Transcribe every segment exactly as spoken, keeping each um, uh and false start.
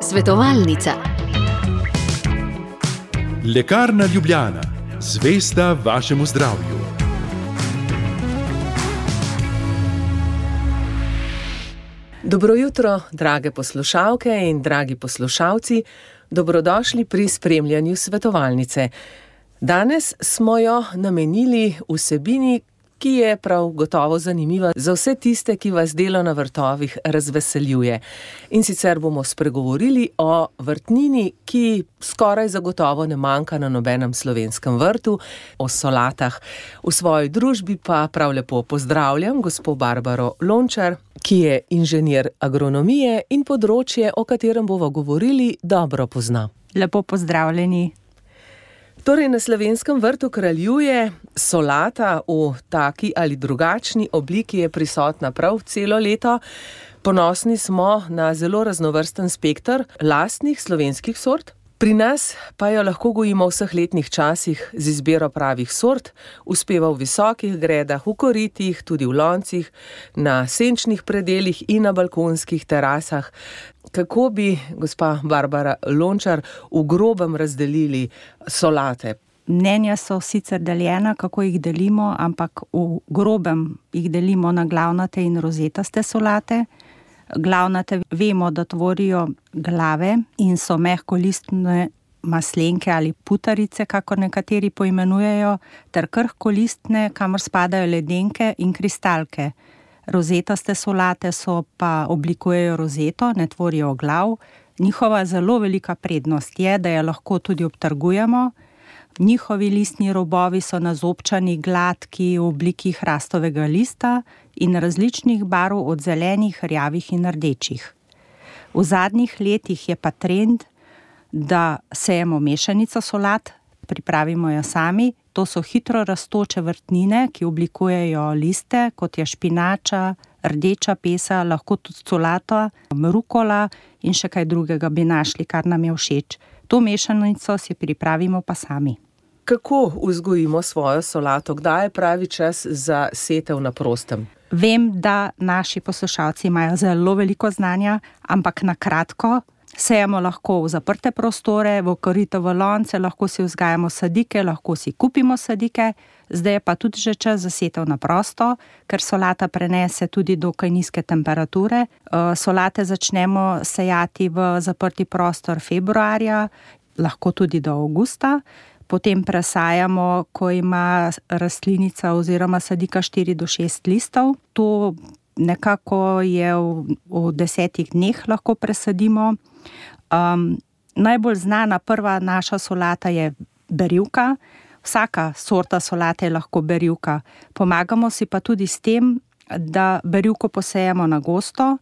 Svetovalnica. Lekarna Ljubljana, zvesta vašemu zdravju. Dobro jutro, drage poslušalke in dragi poslušalci, dobrodošli pri spremljanju svetovalnice. Danes smo jo namenili vsebini, ki je prav gotovo zanimiva za vse tiste, ki vas delo na vrtovih razveseljuje. In sicer bomo spregovorili o vrtnini, ki skoraj zagotovo ne manjka na nobenem slovenskem vrtu, o solatah. V svoji družbi pa prav lepo pozdravljam gospo Barbaro Lončar, ki je inženir agronomije in področje, o katerem bomo govorili, dobro pozna. Lepo pozdravljeni. Torej, na slovenskem vrtu kraljuje solata v taki ali drugačni obliki, je prisotna prav celo leto. Ponosni smo na zelo raznovrsten spekter lastnih slovenskih sort. Pri nas pa jo lahko gojimo v vseh letnih časih z izbiro pravih sort, uspeva v visokih gredah, v koritih, tudi v loncih, na senčnih predelih in na balkonskih terasah. Kako bi, gospa Barbara Lončar, v grobem razdelili solate? Mnenja so sicer deljena, kako jih delimo, ampak v grobem jih delimo na glavnate in rozetaste solate. Glavnate vemo, da tvorijo glave in so mehkolistne maslenke ali putarice, kakor nekateri poimenujejo, ter krhkolistne, kamor spadajo ledenke in kristalke. Rozetaste solate so pa oblikujejo rozeto, ne tvorijo glav. Njihova zelo velika prednost je, da jo lahko tudi obtrgujemo. Njihovi listni robovi so nazobčani, gladki, v obliki hrastovega lista in različnih barv od zelenih, rjavih in rdečih. V zadnjih letih je pa trend, da sejemo mešanico solat, pripravimo jo sami. To so hitro rastoče vrtnine, ki oblikujejo liste, kot je špinača, rdeča pesa, lahko tudi solata, rukola in še kaj drugega bi našli, kar nam je všeč. To mešanico si pripravimo pa sami. Kako vzgojimo svojo solato? Kdaj je pravi čas za setev na prostem? Vem, da naši poslušalci imajo zelo veliko znanja, ampak na kratko. Sejemo lahko v zaprte prostore, v korito, v lonce, lahko si vzgajamo sadike, lahko si kupimo sadike. Zdaj je pa tudi že čas za setev na prosto, ker solata prenese tudi dokaj nizke temperature. Solate začnemo sejati v zaprti prostor februarja, lahko tudi do avgusta. Potem presajamo, ko ima rastlinica oziroma sadika štiri do šest listov. To nekako je v, v desetih dneh lahko presadimo. Um, najbolj znana prva naša solata je berivka. Vsaka sorta solate je lahko berivka. Pomagamo si pa tudi s tem, da berivko posejemo na gosto,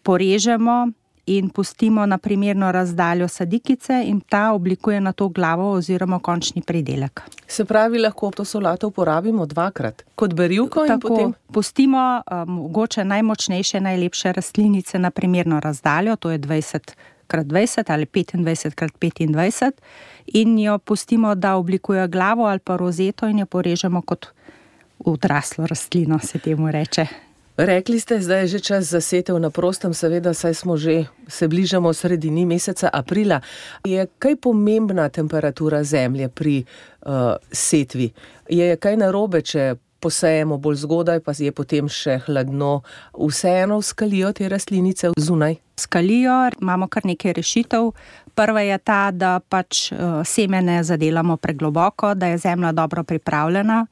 porežemo in pustimo na primerno razdaljo sadikice in ta oblikuje na to glavo oziroma končni pridelek. Se pravi, lahko to solato uporabimo dvakrat, kot berivko in Tako, potem? Pustimo mogoče um, najmočnejše, najlepše rastlinice na primerno razdaljo, to je dvajset krat dvajset ali petindvajset krat petindvajset in jo pustimo, da oblikuje glavo ali pa rozeto in jo porežemo kot odraslo rastlino, se temu reče. Rekli ste, zdaj je že čas za setev na prostem, seveda, saj smo že, se bližamo sredini meseca aprila. Je kaj pomembna temperatura zemlje pri uh, setvi? Je kaj narobe, če posejemo bolj zgodaj, pa je potem še hladno? Vseeno skalijo te rastlinice zunaj? Skalijo, imamo kar nekaj rešitev. Prva je ta, da pač uh, semene zadelamo pregloboko, da je zemlja dobro pripravljena.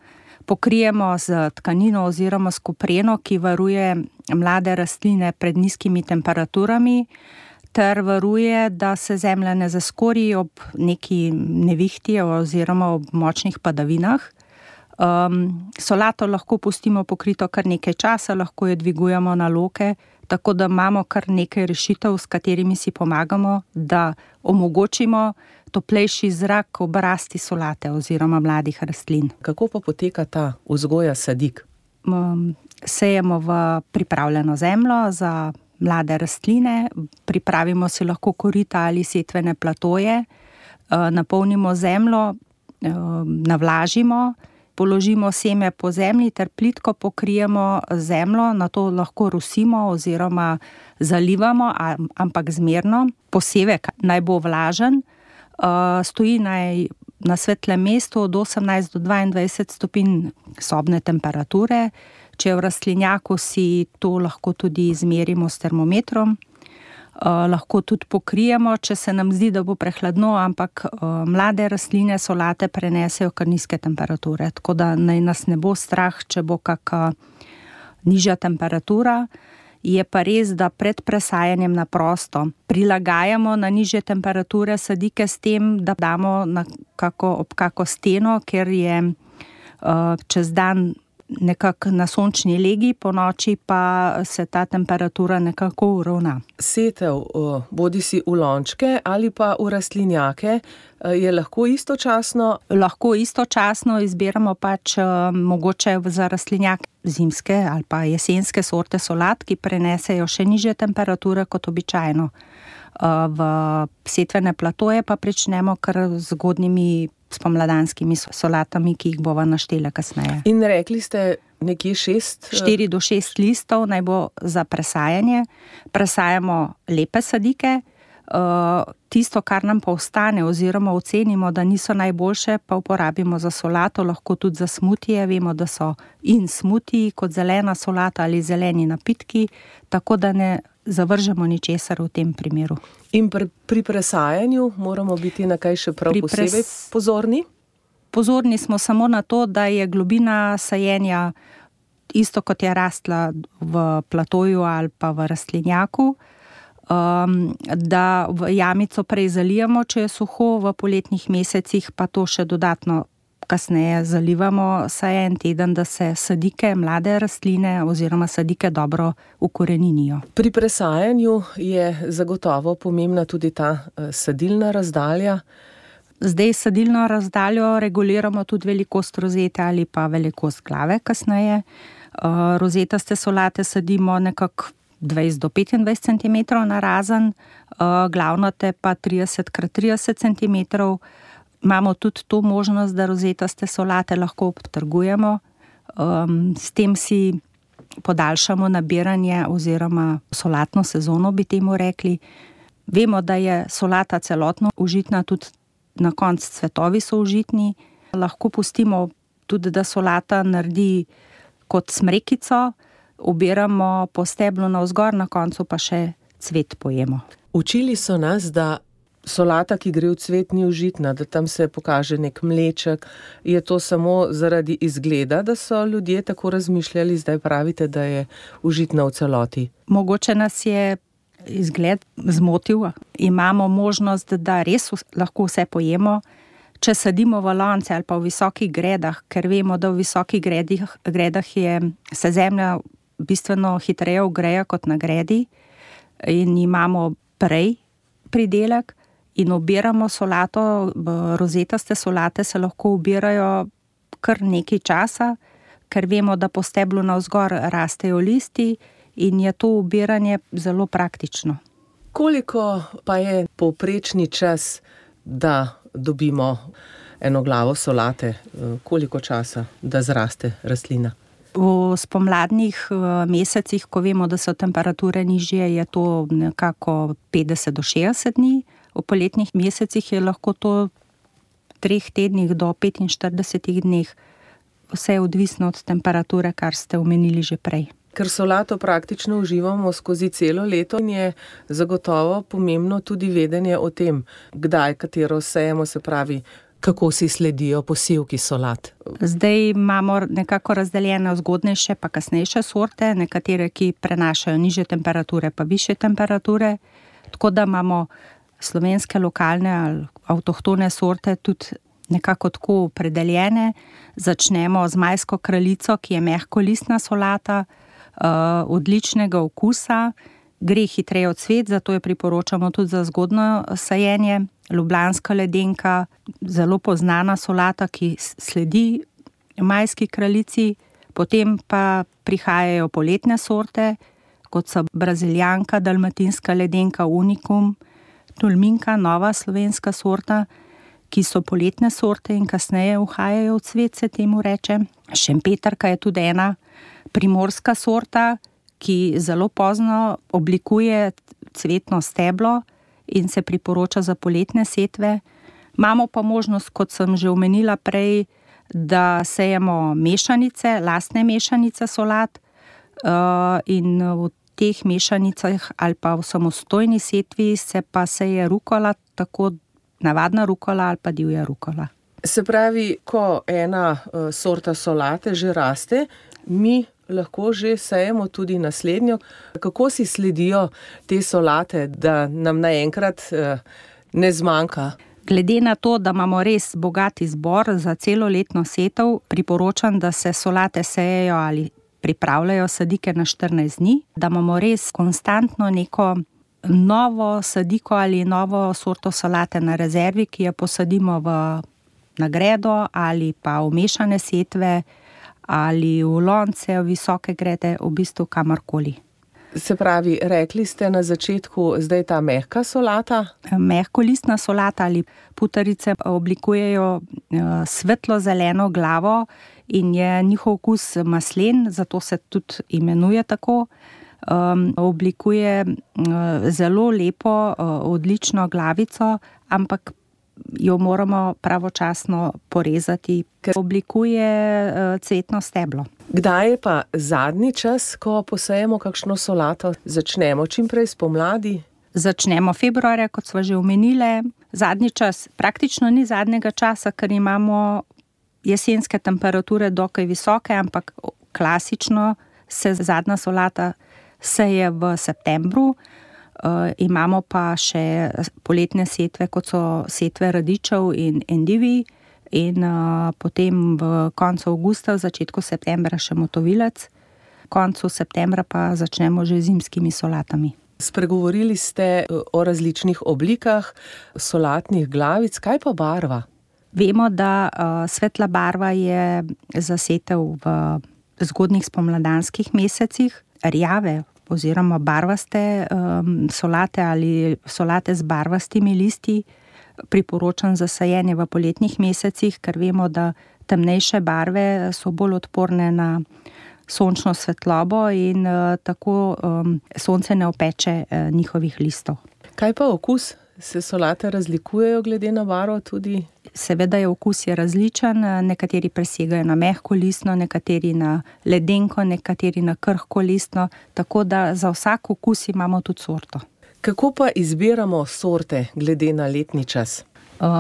Pokrijemo z tkanino oziroma s kopreno, ki varuje mlade rastline pred nizkimi temperaturami, ter varuje, da se zemlja ne zaskori ob neki nevihti oziroma ob močnih padavinah. Um, solato lahko pustimo pokrito kar nekaj časa, lahko jo dvigujemo na loke, tako da imamo kar nekaj rešitev, s katerimi si pomagamo, da omogočimo toplejši zrak ob rasti solate oziroma mladih rastlin. Kako pa poteka ta vzgoja sadik? Um, sejemo v pripravljeno zemljo za mlade rastline, pripravimo si lahko korita ali setvene platoje, uh, napolnimo zemljo, uh, navlažimo položimo seme po zemlji ter plitko pokrijemo zemljo, na to lahko rusimo oziroma zalivamo, ampak zmerno. Posevek naj bo vlažen, stoji naj na svetlem mestu od osemnajst do dvaindvajset stopinj sobne temperature. Če je v rastlinjaku, si to lahko tudi izmerimo s termometrom. Uh, lahko tudi pokrijemo, če se nam zdi, da bo prehladno, ampak uh, mlade rastline, solate prenesejo kar nizke temperature, tako da naj nas ne bo strah, če bo kakšna nižja temperatura. Je pa res, da pred presajanjem na prosto prilagajamo na nižje temperature sadike s tem, da damo na kako, ob kako steno, ker je uh, čez dan nekako na sončni legi, po noči pa se ta temperatura nekako uravna. Setev, bodi si v lončke ali pa v rastlinjake, je lahko istočasno? Lahko istočasno izbiramo pač mogoče za rastlinjak zimske ali pa jesenske sorte solat, ki prenesejo še nižje temperature kot običajno. V setvene platoje pa pričnemo kar z zgodnjimi spomladanskimi solatami, ki jih bova naštela kasneje. In rekli ste nekje šest? Štiri do šest listov naj bo za presajanje. Presajamo lepe sadike. Tisto, kar nam pa ostane oziroma ocenimo, da niso najboljše, pa uporabimo za solato, lahko tudi za smutije. Vemo, da so in smutiji kot zelena solata ali zeleni napitki, tako da ne zavržemo ničesar v tem primeru. In pri, pri presajanju moramo biti na kaj še prav pri posebej pres... pozorni? Pozorni smo samo na to, da je globina sajenja isto kot je rastla v platoju ali pa v rastlinjaku, um, da v jamico prej zalijamo, če je suho, v poletnih mesecih pa to še dodatno kasneje zalivamo saj en teden, da se sadike, mlade rastline oziroma sadike dobro ukoreninijo. Pri presajanju je zagotovo pomembna tudi ta sadilna razdalja. Zdaj sadilno razdaljo reguliramo tudi velikost rozete ali pa velikost glave kasneje. Rozetaste solate sadimo nekako dvajset do petindvajset centimetrov narazen, glavnate pa trideset krat trideset centimetrov. Imamo tudi to možnost, da rozetaste solate lahko obtrgujemo. Um, s tem si podaljšamo nabiranje oziroma solatno sezono, bi temu rekli. Vemo, da je solata celotno užitna, tudi na koncu cvetovi so užitni. Lahko pustimo tudi, da solata naredi kot smrekico, obiramo po steblu navzgor, na koncu pa še cvet pojemo. Učili so nas, da solata, ki gre v cvet, ni užitna, da tam se pokaže nek mleček. Je to samo zaradi izgleda, da so ljudje tako razmišljali, zdaj pravite, da je užitna v celoti? Mogoče nas je izgled zmotil. Imamo možnost, da res lahko vse pojemo, če sadimo v lonce ali pa v visokih gredah, ker vemo, da v visokih gredih, gredah je, se zemlja bistveno hitreje ogreja kot na gredi in imamo prej pridelek. In obiramo solato, rozetaste solate se lahko obirajo kar nekaj časa, ker vemo, da po steblu navzgor rastejo listi in je to obiranje zelo praktično. Koliko pa je povprečni čas, da dobimo eno glavo solate? Koliko časa, da zraste rastlina? V spomladnih mesecih, ko vemo, da so temperature nižje, je to nekako petdeset do šestdeset dni. V poletnih mesecih je lahko to v treh tednih do petinštiridesetih dneh. Vse je odvisno od temperature, kar ste omenili že prej. Ker solato praktično uživamo skozi celo leto in je zagotovo pomembno tudi vedenje o tem, kdaj katero sejemo, se pravi, kako si sledijo posevki solat. Zdaj imamo nekako razdeljene zgodnejše pa kasnejše sorte, nekatere, ki prenašajo nižje temperature pa višje temperature, tako da imamo slovenske lokalne ali avtohtone sorte tudi nekako tako opredeljene. Začnemo z majsko kraljico, ki je mehkolistna solata, odličnega okusa, gre hitreje v cvet, zato jo priporočamo tudi za zgodno sajenje. Ljubljanska ledenka, zelo poznana solata, ki sledi majski kraljici, potem pa prihajajo poletne sorte, kot so braziljanka, dalmatinska ledenka, unikum, tulminka, nova slovenska sorta, ki so poletne sorte in kasneje uhajajo v cvet, se temu reče. Šempetrka je tudi ena primorska sorta, ki zelo pozno oblikuje cvetno steblo in se priporoča za poletne setve. Imamo pa možnost, kot sem že omenila prej, da sejemo mešanice, lastne mešanice solat in v teh mešanicah ali pa v samostojni setvi se pa seje rukola, tako navadna rukola ali pa divja rukola. Se pravi, ko ena sorta solate že raste, mi lahko že sejemo tudi naslednjo. Kako si sledijo te solate, da nam naenkrat ne zmanjka? Glede na to, da imamo res bogat izbor za celoletno setev, priporočam, da se solate sejejo ali pripravljajo sadike na štirinajst dni, da imamo res konstantno neko novo sadiko ali novo sorto solate na rezervi, ki jo posadimo v na gredo ali pa v mešane setve ali v lonce, v visoke grede, v bistvu kamorkoli. Se pravi, rekli ste na začetku, zdaj ta mehka solata? Mehkolistna solata ali putarice oblikujejo svetlo zeleno glavo in je njihov okus maslen, zato se tudi imenuje tako. Um, oblikuje uh, zelo lepo, uh, odlično glavico, ampak jo moramo pravočasno porezati, ker oblikuje uh, cvetno steblo. Kdaj je pa zadnji čas, ko posejemo kakšno solato? Začnemo čim prej spomladi? Začnemo februarja, kot sva že omenile. Zadnji čas, praktično ni zadnjega časa, ker imamo jesenske temperature dokaj visoke, ampak klasično se zadnja solata seje v septembru. Uh, imamo pa še poletne setve, kot so setve radičev in endivij, in uh, potem v koncu avgusta, v začetku septembra še motovilec, v koncu septembra pa začnemo že z zimskimi solatami. Spregovorili ste o različnih oblikah solatnih glavic, kaj pa barva? Vemo, da uh, svetla barva je za setev v zgodnjih spomladanskih mesecih, rjave oziroma barvaste um, solate ali solate z barvastimi listi priporočam za sajenje v poletnih mesecih, ker vemo, da temnejše barve so bolj odporne na sončno svetlobo in uh, tako um, sonce ne opeče uh, njihovih listov. Kaj pa okus? Se solate razlikujejo glede na barvo tudi? Seveda je okus je različen, nekateri presegajo na mehko listno, nekateri na ledenko, nekateri na krhko listno, tako da za vsak okus imamo tudi sorto. Kako pa izbiramo sorte glede na letni čas?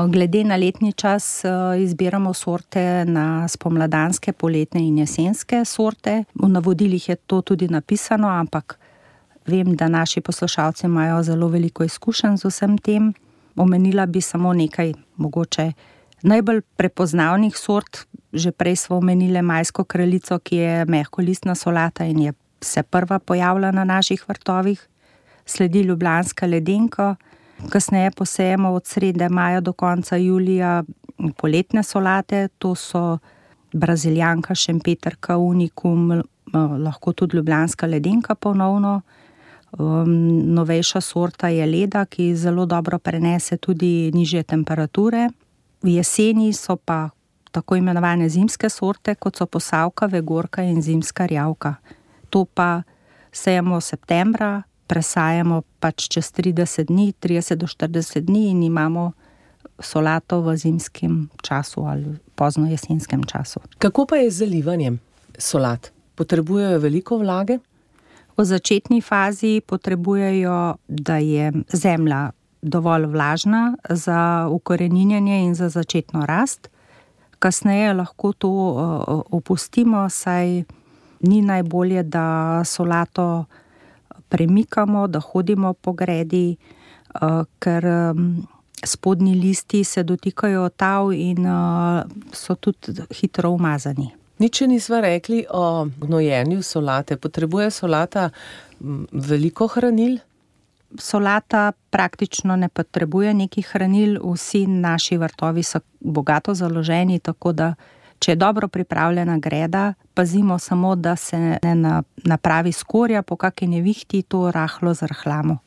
Glede na letni čas izbiramo sorte na spomladanske, poletne in jesenske sorte. V navodilih je to tudi napisano, ampak vem, da naši poslušalci imajo zelo veliko izkušenj z vsem tem. Omenila bi samo nekaj mogoče najbolj prepoznavnih sort. Že prej smo omenile majsko kraljico, ki je mehkolistna solata in je se prva pojavila na naših vrtovih. Sledi ljubljanska ledenko, kasneje posejemo od srede maja do konca julija poletne solate, to so braziljanka, šempetrka, unikum, lahko tudi ljubljanska ledenka ponovno. Um, novejša sorta je leda, ki zelo dobro prenese tudi nižje temperature. V jeseni so pa tako imenovane zimske sorte, kot so posavka, vegorka in zimska rjavka. To pa sejemo septembra, presajamo pač čez trideset dni, trideset do štirideset dni in imamo solato v zimskem času ali pozno jesenskem času. Kako pa je z zalivanjem solat? Potrebujejo veliko vlage? V začetni fazi potrebujejo, da je zemlja dovolj vlažna za ukoreninjenje in za začetno rast. Kasneje lahko to opustimo, saj ni najbolje, da solato premikamo, da hodimo po gredi, ker spodnji listi se dotikajo tav in so tudi hitro umazani. Nič nisva rekli o gnojenju solate. Potrebuje solata veliko hranil? Solata praktično ne potrebuje nekih hranil, vsi naši vrtovi so bogato založeni, tako da če je dobro pripravljena greda, pazimo samo, da se ne napravi skorja, po kakšni nevihti to rahlo zrhlamo.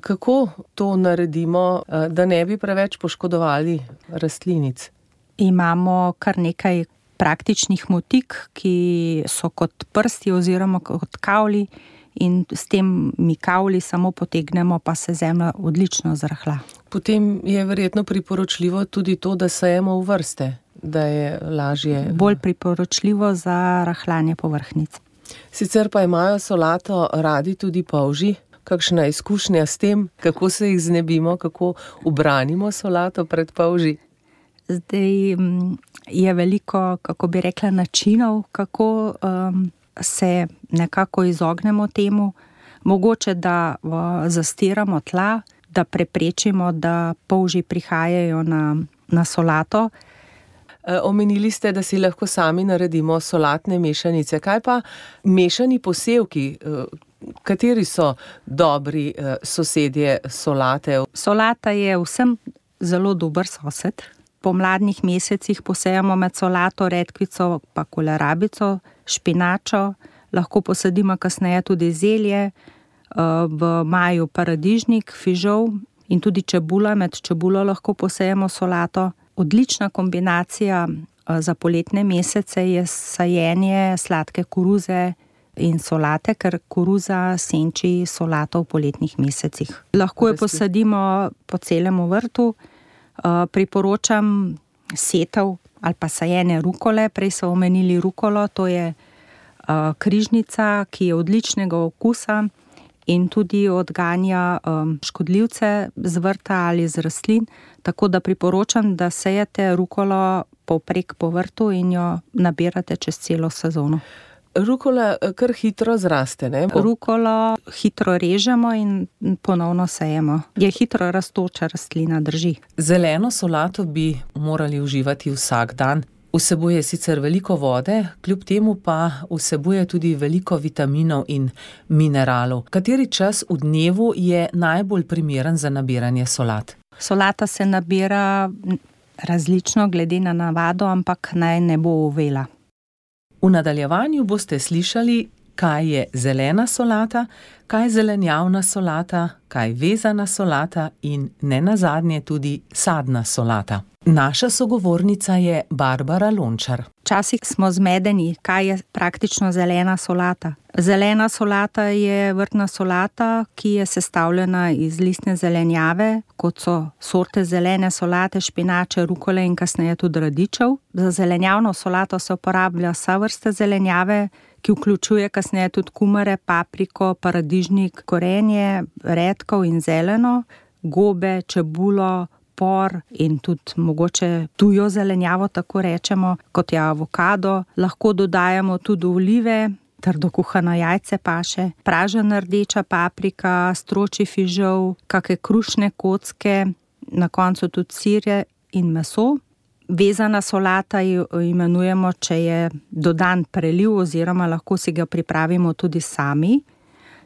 Kako to naredimo, da ne bi preveč poškodovali rastlinic? Imamo kar nekaj praktičnih motik, ki so kot prsti oziroma kot kavli, in s tem mi kavli samo potegnemo, pa se zemlja odlično zrahla. Potem je verjetno priporočljivo tudi to, da sejemo v vrste, da je lažje. Bolj priporočljivo za rahljanje povrhnic. Sicer pa imajo solato radi tudi polži. Kakšna izkušnja s tem, kako se jih znebimo, kako ubranimo solato pred polži? Zdaj je veliko, kako bi rekla, načinov, kako um, se nekako izognemo temu. Mogoče, da uh, zastiramo tla, da preprečimo, da polži prihajajo na, na solato. E, omenili ste, da si lahko sami naredimo solatne mešanice. Kaj pa mešani posevki? E, kateri so dobri e, sosedje solate? Solata je vsem zelo dober sosed. Po mladnih mesecih posejamo med solato, redkvico pa kolerabico, špinačo, lahko posadimo kasneje tudi zelje, v maju paradižnik, fižol in tudi čebula, med čebulo lahko posejemo solato. Odlična kombinacija za poletne mesece je sajenje sladke koruze in solate, ker koruza senči solato v poletnih mesecih. Lahko jo posadimo po celem vrtu. Priporočam setev ali pa sajenje rukole. Prej so omenili rukolo, to je križnica, ki je odličnega okusa in tudi odganja škodljivce z vrta ali z rastlin, tako da priporočam, da sejete rukolo povprek po vrtu in jo nabirate čez celo sezono. Rukola kar hitro zraste, ne? Rukolo hitro režemo in ponovno sejemo. Je hitro rastoča rastlina, drži. Zeleno solato bi morali uživati vsak dan. Vsebuje sicer veliko vode, kljub temu pa vsebuje tudi veliko vitaminov in mineralov. Kateri čas v dnevu je najbolj primeren za nabiranje solat? Solata se nabira različno glede na navado, ampak naj ne bo uvela. V nadaljevanju boste slišali, kaj je zelena solata, kaj je zelenjavna solata, kaj vezana solata in nenazadnje tudi sadna solata. Naša sogovornica je Barbara Lončar. Včasih smo zmedeni, kaj je praktično zelena solata. Zelena solata je vrtna solata, ki je sestavljena iz listne zelenjave, kot so sorte zelene solate, špinače, rukole in kasneje tudi radičev. Za zelenjavno solato se uporablja vsa vrsta zelenjave, ki vključuje kasneje tudi kumare, papriko, paradižnik, korenje, redkov in zeleno, gobe, čebulo, por in tudi mogoče tujo zelenjavo, tako rečemo, kot je avokado. Lahko dodajamo tudi olive, trdo kuhano jajce paše, pražena rdeča paprika, stročji fižol, kakšne krušne kocke, na koncu tudi sirje in meso. Vezana solata jo imenujemo, če je dodan preliv oziroma lahko si ga pripravimo tudi sami.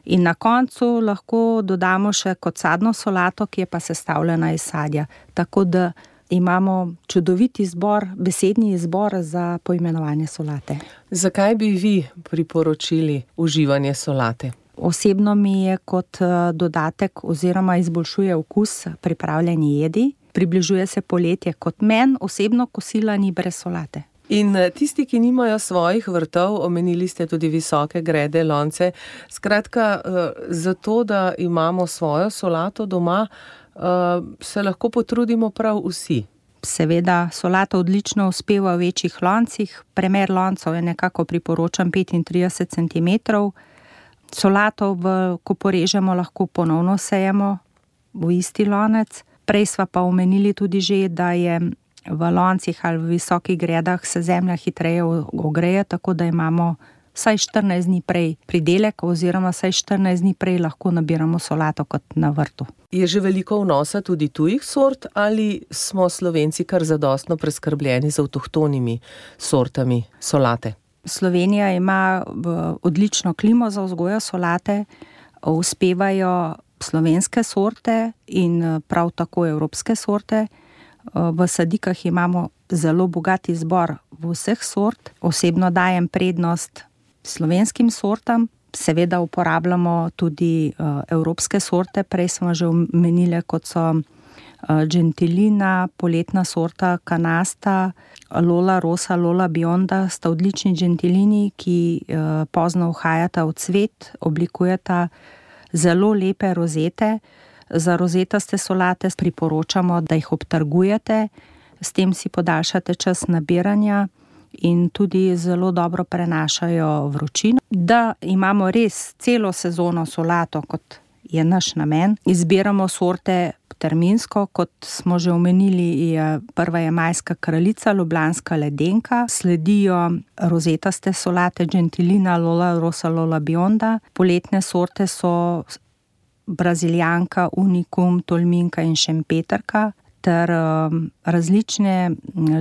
In na koncu lahko dodamo še kot sadno solato, ki je pa sestavljena iz sadja. Tako da imamo čudovit izbor, besedni izbor za poimenovanje solate. Zakaj bi vi priporočili uživanje solate? Osebno mi je kot dodatek oziroma izboljšuje okus pripravljeni jedi. Približuje se poletje, kot meni osebno kosila ni brez solate. In tisti, ki nimajo svojih vrtov, omenili ste tudi visoke grede, lonce. Skratka, zato, da imamo svojo solato doma, se lahko potrudimo prav vsi. Seveda, solata odlično uspeva v večjih loncih. Premer loncev je nekako priporočam petintrideset centimetrov. Solato, v, ko porežemo, lahko ponovno sejemo v isti lonec. Prej sva pa omenili tudi že, da je v loncih ali v visokih gredah se zemlja hitreje ogreje, tako da imamo vsaj štirinajst dni prej pridelek oziroma vsaj štirinajst dni prej lahko nabiramo solato kot na vrtu. Je že veliko vnosa tudi tujih sort ali smo Slovenci kar zadostno preskrbljeni z avtohtonimi sortami solate? Slovenija ima odlično klimo za vzgojo solate, uspevajo slovenske sorte in prav tako evropske sorte. V sadikah imamo zelo bogat izbor vseh sort. Osebno dajem prednost slovenskim sortam. Seveda uporabljamo tudi evropske sorte, prej smo že omenili, kot so Gentilina, poletna sorta Canasta, Lola Rosa, Lola Bionda, sta odlični gentilini, ki pozno vhajata v cvet, oblikujeta zelo lepe rozete. Za rozetaste solate priporočamo, da jih obtrgujete, s tem si podaljšate čas nabiranja in tudi zelo dobro prenašajo vročino. Da imamo res celo sezono solato, kot je naš namen, izbiramo sorte terminsko, kot smo že omenili, je prva je majska kraljica, ljubljanska ledenka, sledijo rozetaste solate Gentilina, Lola Rosa, Lola Bionda, poletne sorte so brazilijanka, unikum, tolminka in šempetrka, ter um, različne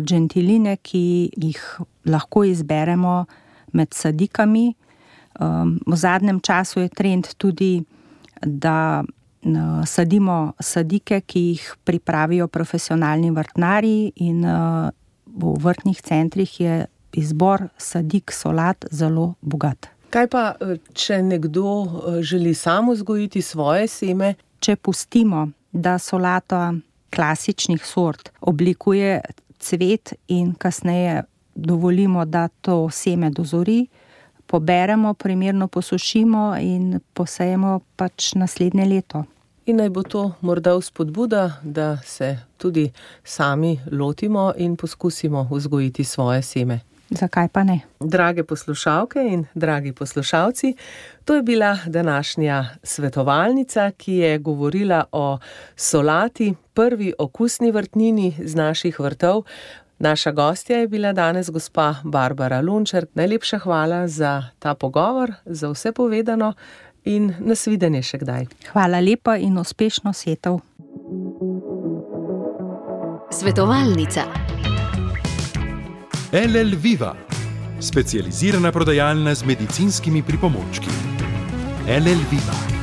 gentiline, ki jih lahko izberemo med sadikami. Um, v zadnjem času je trend tudi, da uh, sadimo sadike, ki jih pripravijo profesionalni vrtnarji, in uh, v vrtnih centrih je izbor sadik solat zelo bogat. Kaj pa, če nekdo želi sam vzgojiti svoje seme? Če pustimo, da solata klasičnih sort oblikuje cvet in kasneje dovolimo, da to seme dozori, poberemo, primerno posušimo in posejemo pač naslednje leto. In naj bo to morda vzpodbuda, da se tudi sami lotimo in poskusimo vzgojiti svoje seme. Zakaj pa ne? Drage poslušalke in dragi poslušalci, to je bila današnja svetovalnica, ki je govorila o solati, prvi okusni vrtnini z naših vrtov. Naša gostja je bila danes gospa Barbara Lunčar. Najlepša hvala za ta pogovor, za vse povedano in nasvidenje še kdaj. Hvala lepa in uspešno setev. Svetovalnica. L L Viva, specializirana prodajalna z medicinskimi pripomočki. L L Viva.